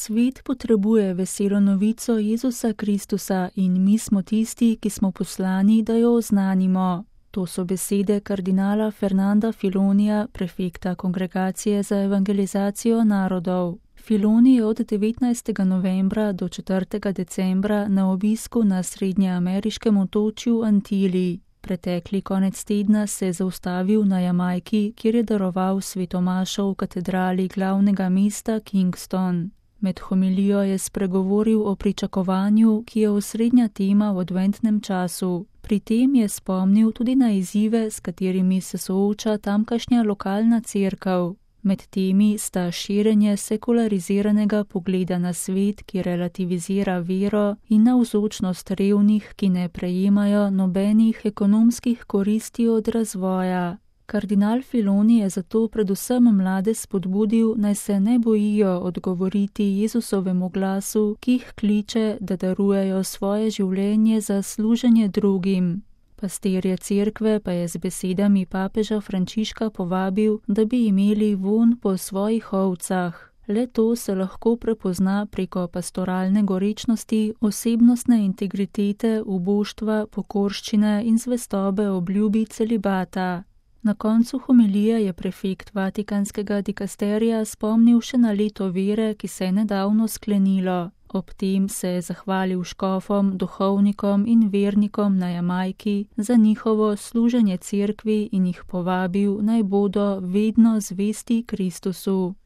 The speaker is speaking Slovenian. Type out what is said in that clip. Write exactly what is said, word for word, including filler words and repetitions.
Svet potrebuje veselo novico Jezusa Kristusa in mi smo tisti, ki smo poslani, da jo oznanimo. To so besede kardinala Fernanda Filonija, prefekta Kongregacije za evangelizacijo narodov. Filoni je od devetnajstega novembra do četrtega decembra na obisku na srednjeameriškem otočju Antili. Pretekli konec tedna se je zaustavil na Jamajki, kjer je daroval svetomašo v katedrali glavnega mesta Kingston. Med homilijo je spregovoril o pričakovanju, ki je osrednja tema v adventnem času. Pri tem je spomnil tudi na izzive, s katerimi se sooča tamkajšnja lokalna cerkev. Med temi sta širjenje sekulariziranega pogleda na svet, ki relativizira vero, in navzočnost revnih, ki ne prejemajo nobenih ekonomskih koristi od razvoja. Kardinal Filoni je zato predvsem mlade spodbudil, naj se ne bojijo odgovoriti Jezusovemu glasu, ki jih kliče, da darujejo svoje življenje za služenje drugim. Pastirje cerkve pa je z besedami papeža Frančiška povabil, da bi imeli vonj po svojih ovcah. Le to se lahko prepozna preko pastoralne gorečnosti, osebnostne integritete, uboštva, pokorščine in zvestobe obljubi celibata. Na koncu homilije je prefekt Vatikanskega dikasterija spomnil še na leto vere, ki se je nedavno sklenilo. Ob tem se je zahvalil škofom, duhovnikom in vernikom na Jamajki za njihovo služenje cerkvi in jih povabil, naj bodo vedno zvesti Kristusu.